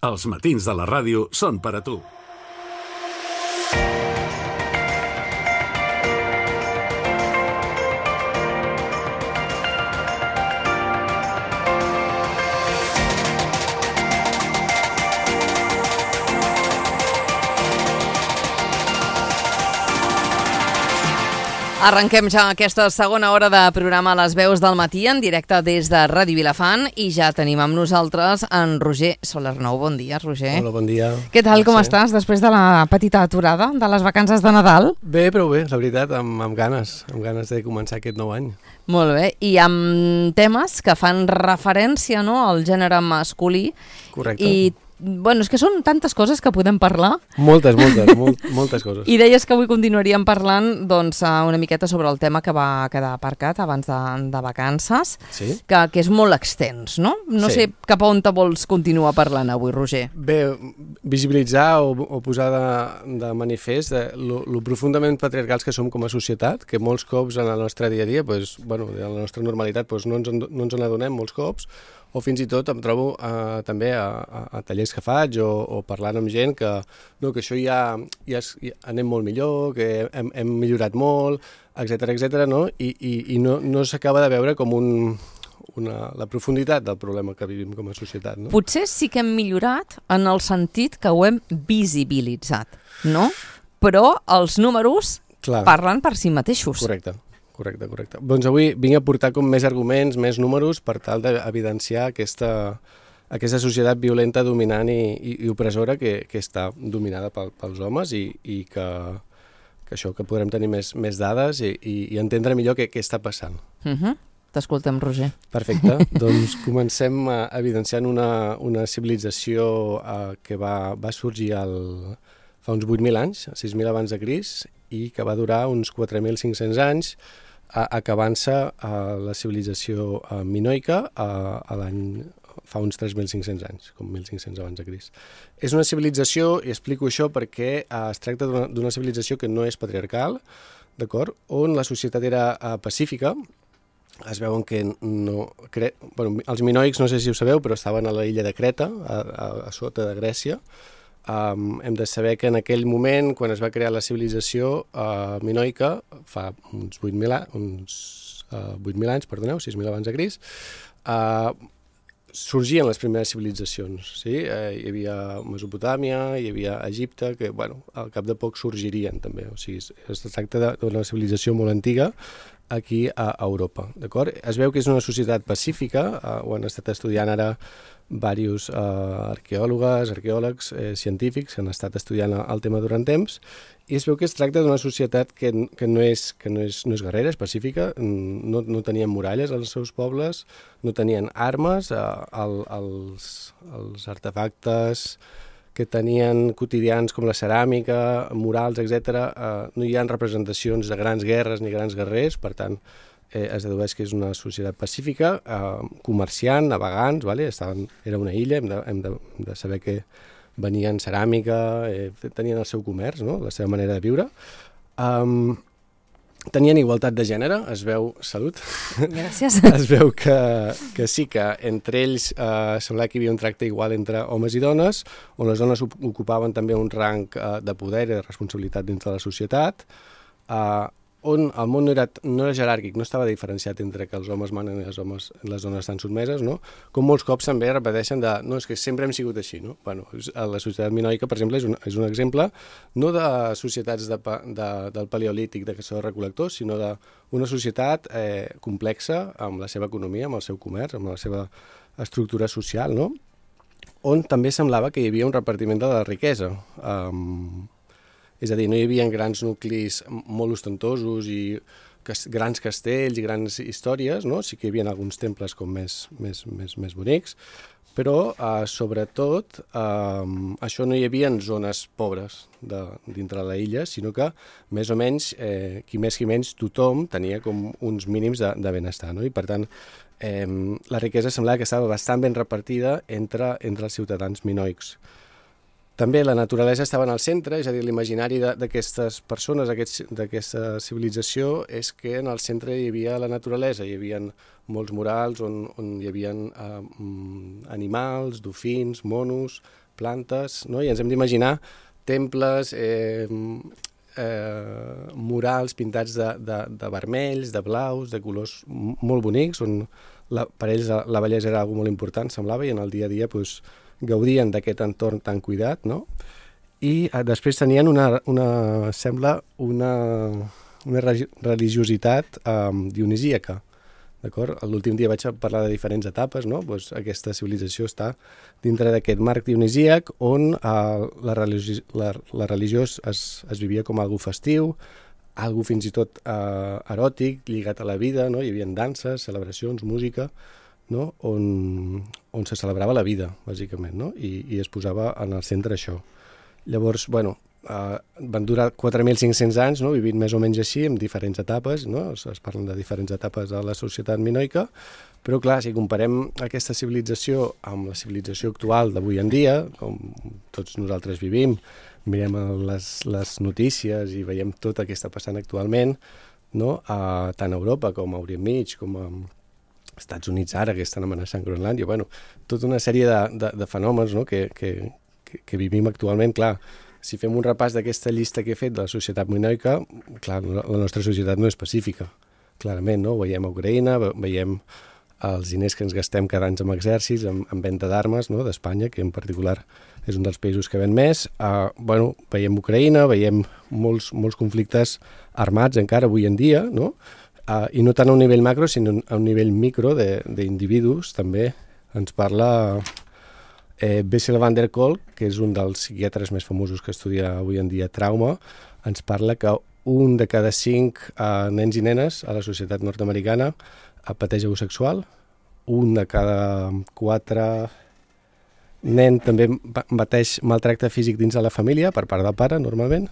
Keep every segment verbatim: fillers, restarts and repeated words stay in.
Els matins de la ràdio són per a tu. Arrenquem ja aquesta segona hora de programa Les Veus del Matí en directe des de Ràdio Vilafant i ja tenim amb nosaltres en Roger Solernou. Bon dia, Roger. Hola, bon dia. Què tal, com estàs després de la petita aturada de les vacances de Nadal? Bé, però bé, la veritat, amb, amb ganes, amb ganes de començar aquest nou any. Molt bé, i amb temes que fan referència, no?, al gènere masculí. Correcte. I bueno, és que són tantes coses que podem parlar. Moltes, moltes, molt, moltes coses. I deies que avui continuaríem parlant doncs, una miqueta sobre el tema que va quedar aparcat abans de, de vacances, sí? que, que és molt extens, no? No sí. sé cap a on te vols continuar parlant avui, Roger. Bé, visibilitzar o, o posar de, de manifest eh, lo, lo profundament patriarcals que som com a societat, que molts cops en el nostre dia a dia, pues, bueno, en la nostra normalitat pues, no, ens en, no ens en adonem molts cops, o fins i tot em trobo eh, també a, a, a tallers que faig o, o parlant amb gent que, no, que això ja, ja, ja anem molt millor, que hem, hem millorat molt, etcètera, etcètera, no? I, i, i no, no s'acaba de veure com un, una, la profunditat del problema que vivim com a societat. No? Potser sí que hem millorat en el sentit que ho hem visibilitzat, no? Però els números Clar. parlen per si mateixos. Correcte. Correcte, correcte. Doncs avui vinc a portar com més arguments, més números per tal d'evidenciar aquesta, aquesta societat violenta, dominant i, i, i opressora que, que està dominada pel, pels homes i, i que, que això, que podrem tenir més, més dades i, i, i entendre millor què, què està passant. Uh-huh. T'escoltem, Roger. Perfecte. Doncs comencem uh, evidenciant una, una civilització uh, que va, va sorgir al, fa uns vuit mil anys, sis mil abans de Crist, i que va durar uns quatre mil cinc-cents anys, acabant-se a la civilització minoica a, a l'any fa uns tres mil cinc-cents anys, com mil cinc-cents abans de Crist. És una civilització, i explico això perquè eh, es tracta d'una civilització que no és patriarcal, d'acord? On la societat era eh, pacífica. Es veuen que no... Cre... Bueno, els minoics, no sé si ho sabeu, però estaven a la illa de Creta, a, a, a sota de Grècia. Um, hem de saber que en aquell moment, quan es va crear la civilització uh, minoica, fa uns vuit mil anys, perdoneu, sis mil abans de Crist, uh, sorgien les primeres civilitzacions. Sí? Uh, hi havia Mesopotàmia, hi havia Egipte, que bueno, al cap de poc sorgirien també. O sigui, es tracta d'una civilització molt antiga aquí a Europa. Es veu que és una societat pacífica, uh, ho han estat estudiant ara diversos uh, arqueòlogues, arqueòlegs, eh, científics que han estat estudiant el tema durant temps, i es veu que es tracta d'una societat que, que, no, és, que no, és, no és guerrera, és pacífica, no, no tenien muralles als seus pobles, no tenien armes, uh, el, els, els artefactes que tenien quotidians com la ceràmica, murals, etcètera, uh, no hi ha representacions de grans guerres ni grans guerrers, per tant, Eh, es dedueix que és una societat pacífica, eh, comerciant, navegants, vale? Estaven, era una illa, hem de, hem de, hem de saber que venien ceràmica, eh, tenien el seu comerç, no? La seva manera de viure. Um, tenien igualtat de gènere, es veu... Salut! Gràcies. Es veu que, que sí, que entre ells eh, semblava que hi havia un tracte igual entre homes i dones, on les dones ocupaven també un rang eh, de poder i de responsabilitat dins de la societat, eh, on el món no era, no era jeràrquic, no estava diferenciat entre que els homes manen i les, homes, les dones estan sotmeses, no? Com molts cops també repeteixen de, no, és que sempre hem sigut així, no? Bueno, la societat minoica, per exemple, és un, és un exemple no de societats de, de, del paleolític, de caçadors-recol·lectors, sinó d'una societat eh, complexa amb la seva economia, amb el seu comerç, amb la seva estructura social, no? On també semblava que hi havia un repartiment de la riquesa. Um, És a dir, no hi havia grans nuclis molt ostentosos i grans castells i grans històries, no? Sí que hi havia alguns temples com més, més, més, més bonics, però eh, sobretot eh, això no hi havia zones pobres de, dintre la illa, sinó que més o menys, eh, qui més qui menys, tothom tenia com uns mínims de, de benestar, no? I per tant, eh, la riquesa semblava que estava bastant ben repartida entre, entre els ciutadans minoics. També la naturalesa estava en el centre, és a dir, l'imaginari d'aquestes persones, d'aquesta civilització, és que en el centre hi havia la naturalesa, hi havia molts murals on, on hi havia eh, animals, dofins, monos, plantes, no? I ens hem d'imaginar temples, eh, eh, murals pintats de, de, de vermells, de blaus, de colors molt bonics, on la, per ells la, la bellesa era algo molt important, semblava, i en el dia a dia pues, gaudien d'aquest entorn tan cuidat, no? I eh, després tenien una, una sembla, una, una religiositat eh, dionisíaca, d'acord? L'últim dia vaig parlar de diferents etapes, no? Pues aquesta civilització està dintre d'aquest marc dionisíac on eh, la, religi la, la religió es, es vivia com algo festiu, algo fins i tot eh, eròtic, lligat a la vida, no? Hi havia danses, celebracions, música, no? on, on se celebrava la vida, bàsicament, no? I, i es posava en el centre això. Llavors, bueno, Uh, van durar quatre mil cinc-cents anys, no? Vivint més o menys així, en diferents etapes, no? Es, es parlen de diferents etapes de la societat minoica, però clar, si comparem aquesta civilització amb la civilització actual d'avui en dia, com tots nosaltres vivim, mirem les, les notícies i veiem tot el que està passant actualment, no? Uh, tant a Europa com a Orient Mig, com a Estats Units ara, que estan amenaçant Groenlàndia, bueno, tota una sèrie de, de, de fenòmens, no? que, que, que, que vivim actualment, clar. Si fem un repàs d'aquesta llista que he fet de la societat minoica, clar, la nostra societat no és pacífica, clarament, no? Ho veiem a Ucraïna, veiem els diners que ens gastem cada any amb exèrcits, en, en venda d'armes, no? D'Espanya, que en particular és un dels països que ven més. Uh, bueno, veiem Ucraïna, veiem molts, molts conflictes armats encara avui en dia, no? Uh, I no tant a un nivell macro, sinó a un nivell micro d'individus, també ens parla... Eh, Bessel van der Kolk, que és un dels psiquiatres més famosos que estudia avui en dia trauma, ens parla que un de cada cinc eh, nens i nenes a la societat nord-americana eh, pateix abús sexual, un de cada quatre nen també pateix maltracte físic dins de la família, per part del pare, normalment,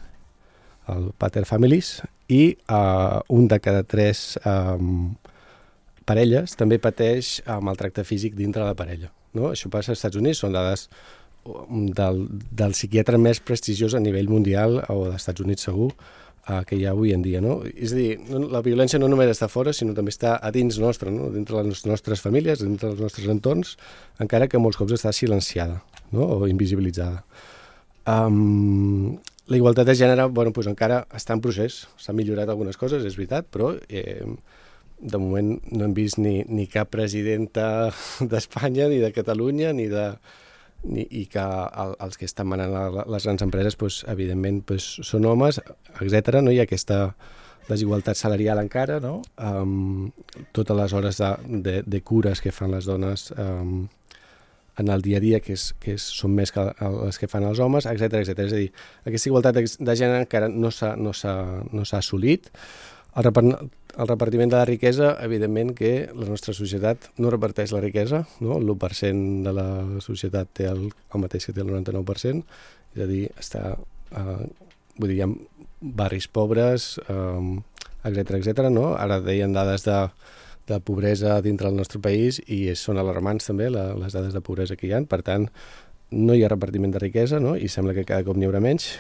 el pater families, i eh, un de cada tres eh, parelles també pateix eh, maltracte físic dintre de la parella. No? Això passa als Estats Units, són dades del, del psiquiatre més prestigiós a nivell mundial, o dels Estats Units segur, eh, que hi ha avui en dia. No? És a dir, no, la violència no només està fora, sinó també està a dins nostre, no? Dintre les nostres famílies, dintre dels nostres entorns, encara que molts cops està silenciada, no? O invisibilitzada. Um, la igualtat de gènere, bueno, doncs encara està en procés, s'han millorat algunes coses, és veritat, però... Eh, de moment no hem vist ni, ni cap presidenta d'Espanya, ni de Catalunya, ni de... Ni, i que el, els que estan manant la, les grans empreses, pues, evidentment, pues, són homes, etcètera. No? Hi ha aquesta desigualtat salarial encara, no? Um, totes les hores de, de, de cures que fan les dones um, en el dia a dia, que, és, que és, són més que les que fan els homes, etcètera, etcètera. És a dir, aquesta igualtat de gènere encara no s'ha no s'ha no s'ha assolit. El, repart, el repartiment de la riquesa, evidentment que la nostra societat no reparteix la riquesa, no? L'u per cent de la societat té el, el mateix que té el noranta-nou per cent, és a dir, està, eh, vull dir, hi ha barris pobres, eh, etcètera, etcètera, no? Ara deien dades de, de pobresa dintre del nostre país i són alarmants també la, les dades de pobresa que hi ha, per tant, no hi ha repartiment de riquesa, no? I sembla que cada cop n'hi haurà menys,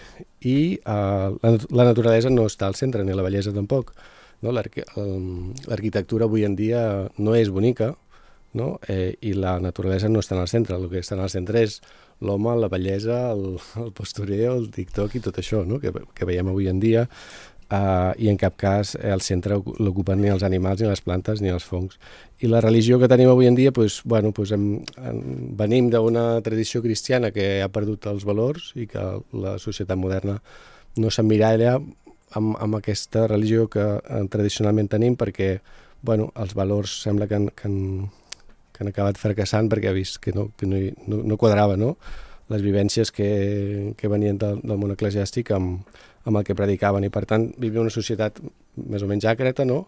i uh, la, la naturalesa no està al centre, ni la bellesa tampoc. No? L'arquitectura avui en dia no és bonica, no? Eh, i la naturalesa no està en el centre, el que està en el centre és l'home, la bellesa, el, el postureo, el TikTok i tot això, no? que, que veiem avui en dia, uh, i en cap cas el centre l'ocupen ni els animals, ni les plantes, ni els fongs. I la religió que tenim avui en dia, pues, bueno, pues hem, hem, venim d'una tradició cristiana que ha perdut els valors i que la societat moderna no s'emmiralla amb, amb aquesta religió que eh, tradicionalment tenim, perquè bueno, els valors sembla que han, que han, que han acabat fracassant perquè ha vist que no, que no, no, no quadrava, no? Les vivències que, que venien del, del món eclesiàstic amb, amb el que predicaven, i per tant vivim una societat més o menys àcrata, no?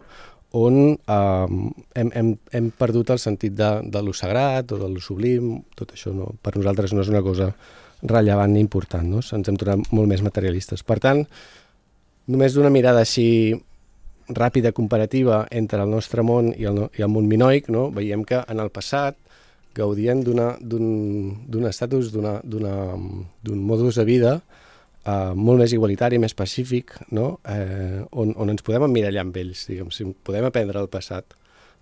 On eh, hem, hem, hem perdut el sentit de, de lo sagrat o de lo sublim. Tot això no, per nosaltres no és una cosa rellevant ni important, no? Ens hem tornat molt més materialistes. Per tant, només d'una mirada així ràpida, comparativa entre el nostre món i el, i el món minoic, no? Veiem que en el passat gaudien d'un estatus, d'un modus de vida Uh, molt més igualitari, més pacífic, no? eh, on, on ens podem emmirallar amb ells, diguem, si podem aprendre el passat.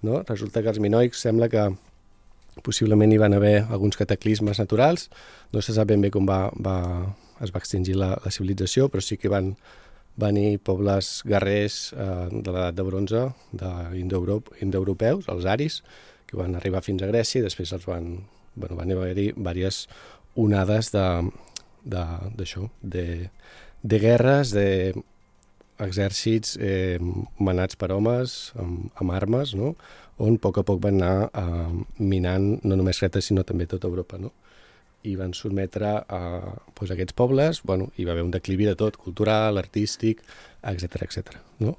No? Resulta que els minoics sembla que possiblement hi van haver alguns cataclismes naturals, no se sap ben bé com va, va, es va extingir la, la civilització, però sí que van venir pobles guerrers eh, de l'edat de bronze, d'indoeuropeus, els aris, que van arribar fins a Grècia i després els van, bueno, van haver-hi diverses onades de, de, d'això, de, de guerres, d'exèrcits eh, manats per homes, amb, amb armes, no? On a poc a poc van anar eh, minant no només Creta, sinó també tota Europa, no? I van sotmetre a doncs, aquests pobles, bueno, hi va haver un declivi de tot, cultural, artístic, etcètera, etcètera, no?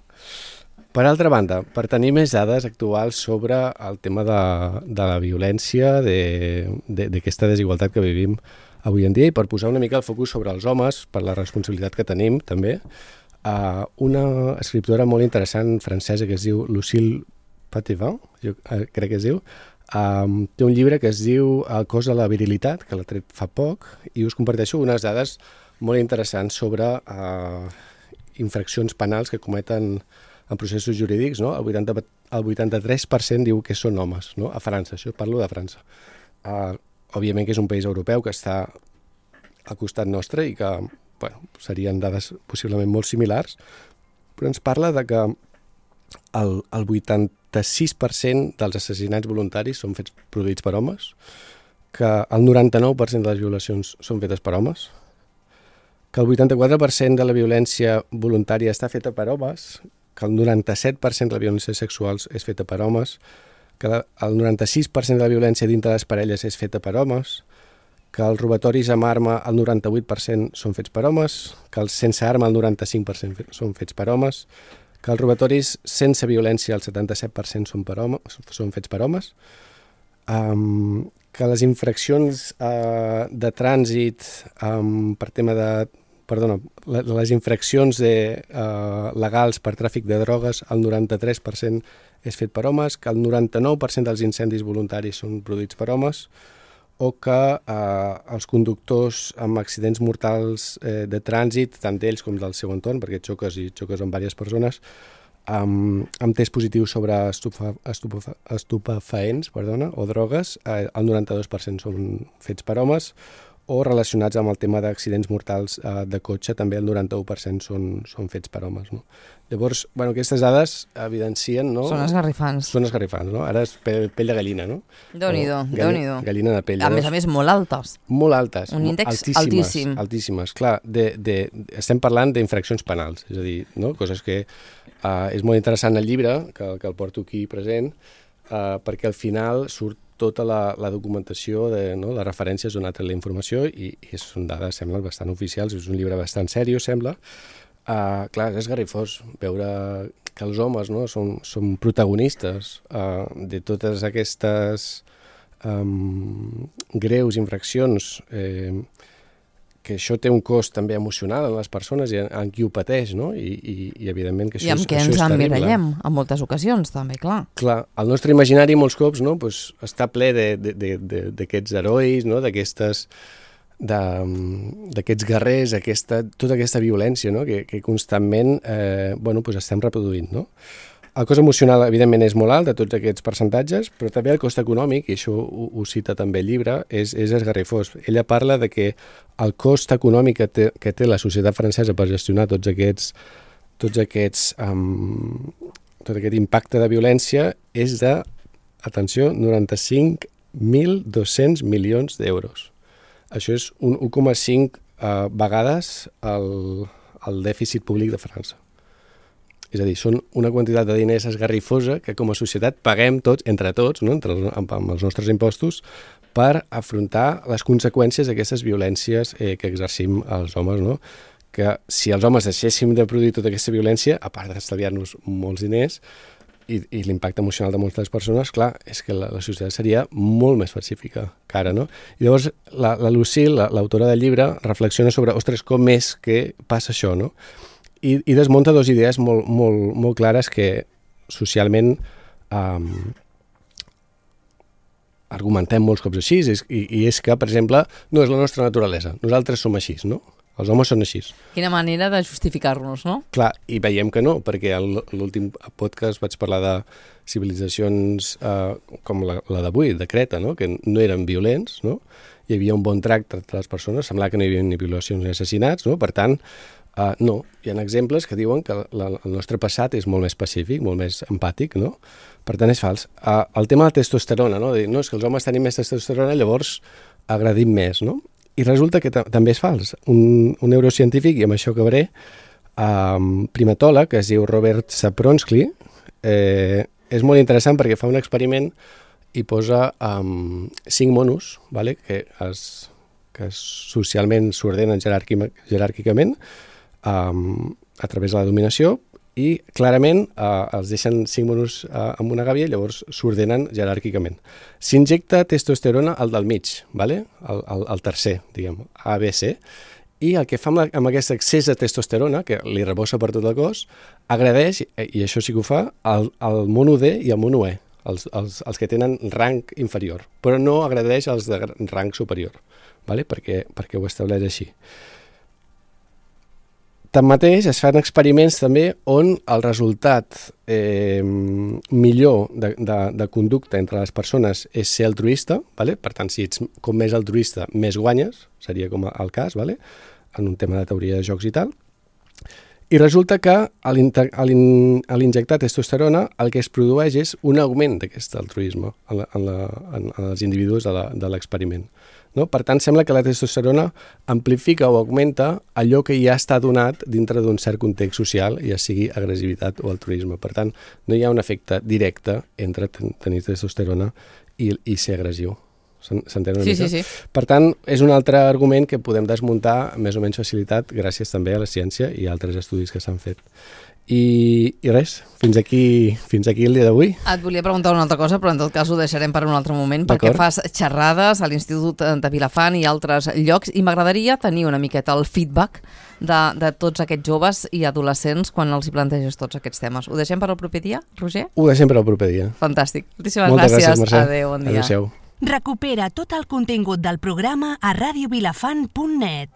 Per altra banda, per tenir més dades actuals sobre el tema de, de la violència, d'aquesta de, desigualtat que vivim avui en dia, i per posar una mica el focus sobre els homes, per la responsabilitat que tenim, també, uh, una escriptora molt interessant francesa que es diu Lucille Patevin, jo uh, crec que es diu, Um, té un llibre que es diu El cos de la virilitat, que l'ha tret fa poc, i us comparteixo unes dades molt interessants sobre uh, infraccions penals que cometen en processos jurídics, no? El vuitanta, el vuitanta-tres per cent diu que són homes, no? A França, això parlo de França. Uh, òbviament que és un país europeu que està al costat nostre i que, bueno, serien dades possiblement molt similars, però ens parla de que el, el vuitanta-sis per cent dels assassinats voluntaris són fets produïts per homes, que el noranta-nou per cent de les violacions són fetes per homes, que el vuitanta-quatre per cent de la violència voluntària està feta per homes, que el noranta-set per cent de la violència sexual és feta per homes, que el noranta-sis per cent de la violència dintre les parelles és feta per homes, que els robatoris amb arma el noranta-vuit per cent són fets per homes, que els sense arma el noranta-cinc per cent són fets per homes, que els robatoris sense violència el setanta-set per cent són, per home, són fets per homes, um, que les infraccions uh, de trànsit um, per tema de... Perdona, les infraccions de, uh, legals per tràfic de drogues, el noranta-tres per cent és fet per homes, que el noranta-nou per cent dels incendis voluntaris són produïts per homes, o que eh, els conductors amb accidents mortals eh, de trànsit, tant d'ells com del seu entorn, perquè xoques i xoques amb diverses persones, amb, amb tests positius sobre estufa, estufa, estupefaents perdona, o drogues, eh, el noranta-dos per cent són fets per homes, o relacionats amb el tema d'accidents mortals eh, de cotxe, també el noranta-u per cent són, són fets per homes. No? Llavors, bueno, aquestes dades evidencien... No? Són esgarrifants. Són esgarrifants, no? Ara és pell, pell de gallina, no? Déu-n'hi-do, Déu-n'hi-do. Gallina de pell. A més a més, molt altes. Molt altes. Un índex altíssimes, altíssim. Altíssimes, clar. De, de, estem parlant d'infraccions penals, és a dir, no? Coses que uh, és molt interessant el llibre, que, que el porto aquí present, uh, perquè al final surt tota la, la documentació, de, no, les referències on ha tret la informació i, i són dades, semblen, bastant oficials, és un llibre bastant seriós, sembla. Uh, clar, és esgarrifós veure que els homes, no, són, són protagonistes uh, de totes aquestes um, greus infraccions, eh, que això té un cost també emocional en les persones i en, en qui ho pateix, no? I, i, i evidentment que això, I amb és, què això ens és terrible. emmirallem en moltes ocasions, també, clar. Clar, el nostre imaginari molts cops, no, pues, està ple d'aquests herois, no, d'aquestes d'aquests guerrers, aquesta, tota aquesta violència, no, que, que constantment eh, bueno, pues estem reproduint, no? El cost emocional, evidentment, és molt alt de tots aquests percentatges, però també el cost econòmic, i això ho, ho cita també el llibre, és, és esgarrifós. Ella parla de que el cost econòmic que té, que té la societat francesa per gestionar tots aquests, tots aquests, um, tot aquest impacte de violència és de, atenció, noranta-cinc mil dos-cents milions d'euros. Això és un u coma cinc uh, vegades el, el dèficit públic de França. És a dir, són una quantitat de diners esgarrifosa que com a societat paguem tots, entre tots, no? Entre els, amb, amb els nostres impostos, per afrontar les conseqüències d'aquestes violències eh, que exercim els homes, no? Que si els homes deixéssim de produir tota aquesta violència, a part d'estalviar-nos molts diners, i, i l'impacte emocional de moltes persones, clar, és que la, la societat seria molt més pacífica que ara, no? I llavors la, la Lucille, l'autora del llibre, reflexiona sobre, ostres, com és que passa això, no? I, i desmunta dues idees molt, molt, molt clares que socialment um, argumentem molts cops així, i, i és que, per exemple, no és la nostra naturalesa, nosaltres som així, no? Els homes són així. Quina manera de justificar-nos, no? Clar, i veiem que no, perquè a l'últim podcast vaig parlar de civilitzacions eh, com la, la d'avui, de Creta, no? Que no eren violents, no? Hi havia un bon tracte entre les persones, semblava que no hi havia ni violacions ni assassinats, no? Per tant, eh, no, hi ha exemples que diuen que la, el nostre passat és molt més pacífic, molt més empàtic, no? Per tant, és fals. Eh, el tema de la testosterona, no? Dir, no, és que els homes tenim més testosterona, llavors agradim més, no? I resulta que també és fals. Un, un neurocientífic, i amb això acabaré, um, primatòleg, que es diu Robert Sapronsky, eh, és molt interessant perquè fa un experiment i posa um, cinc monos, vale? que, es, que socialment s'ordenen jeràrquicament um, a través de la dominació, i clarament eh, els deixen cinc monos eh, amb una gàbia i llavors s'ordenen jeràrquicament. S'injecta testosterona al del mig, vale? el, el, el tercer, diguem, A, B, C, i el que fa amb, la, amb aquest excés de testosterona, que li rebossa per tot el cos, agradeix, i això sí que ho fa, al, al mono D i al mono E, els, els, els que tenen rang inferior, però no agradeix als de rang superior, vale? perquè, perquè ho estableix així. Tanmateix, es fan experiments també on el resultat eh, millor de, de, de conducta entre les persones és ser altruista, vale? Per tant, si ets com més altruista, més guanyes, seria com el cas, vale? En un tema de teoria de jocs i tal. I resulta que a l'injectar testosterona el que es produeix és un augment d'aquest altruisme en, la, en, la, en, en els individus de l'experiment. No? Per tant, sembla que la testosterona amplifica o augmenta allò que ja està donat dintre d'un cert context social, ja sigui agressivitat o altruisme. Per tant, no hi ha un efecte directe entre tenir testosterona i, i ser agressiu. S'entén una sí, mica? Sí, sí. Per tant, és un altre argument que podem desmuntar amb més o menys facilitat gràcies també a la ciència i a altres estudis que s'han fet. I, i res, fins aquí, fins aquí el dia d'avui. Et volia preguntar una altra cosa, però en tot cas ho deixarem per un altre moment, perquè fas xerrades a l'Institut de Vilafant i altres llocs, i m'agradaria tenir una miqueta el feedback de, de tots aquests joves i adolescents quan els hi planteges tots aquests temes. Ho deixem per al proper dia, Roger? Ho deixem per al proper dia. Fantàstic. Moltíssimes Moltes gràcies. gràcies, Mercè. Adéu, bon dia. Adéu-siau. Recupera tot el contingut del programa a radio vilafant punt net.